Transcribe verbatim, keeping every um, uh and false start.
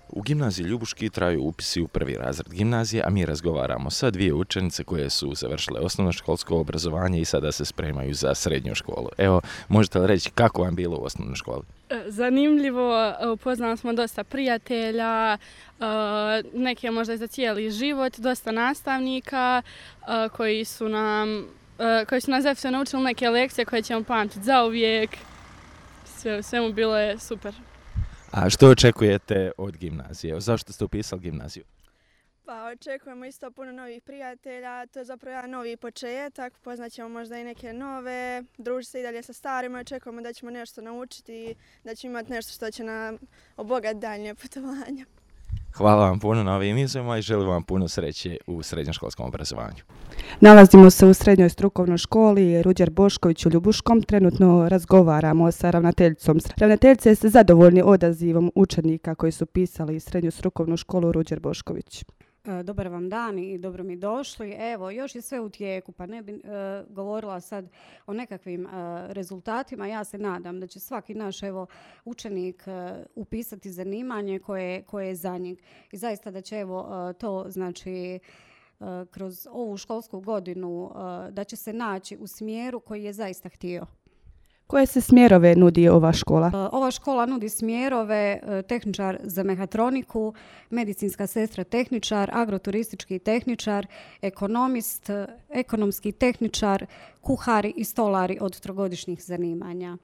U gimnaziji Ljubuški traju upisi u prvi razred gimnazije, a mi razgovaramo sa dvije učenice koje su završile osnovnoškolsko obrazovanje i sada se spremaju za srednju školu. Evo, možete li reći kako vam bilo u osnovnoj školi? Zanimljivo, upoznali smo dosta prijatelja, neke možda i za cijeli život, dosta nastavnika koji su nam, koji su nas zaista naučili neke lekcije koje ćemo pamtiti zauvijek. Sve, svemu bilo je super. A što očekujete od gimnazije? Zašto ste upisali gimnaziju? Pa očekujemo isto puno novih prijatelja, to je zapravo jedan novi početak, poznaćemo možda i neke nove, družiti se i dalje sa starima, očekujemo da ćemo nešto naučiti i da ćemo imati nešto što će nam obogatiti daljnje putovanje. Hvala vam puno na ovim izjavama i želim vam puno sreće u srednjoškolskom obrazovanju. Nalazimo se u srednjoj strukovnoj školi Ruđer Bošković u Ljubuškom. Trenutno razgovaramo sa ravnateljicom. Ravnateljice, ste zadovoljni odazivom učenika koji su pisali srednju strukovnu školu Ruđer Bošković? Dobar vam dan i dobro mi došli. Evo, još je sve u tijeku, pa ne bi e, govorila sad o nekakvim e, rezultatima. Ja se nadam da će svaki naš evo, učenik e, upisati zanimanje koje, koje je za njeg. I zaista da će evo, e, to znači e, kroz ovu školsku godinu e, da će se naći u smjeru koji je zaista htio. Koje se smjerove nudi ova škola? Ova škola nudi smjerove tehničar za mehatroniku, medicinska sestra tehničar, agroturistički tehničar, ekonomist, ekonomski tehničar, kuhari i stolari od trogodišnjih zanimanja.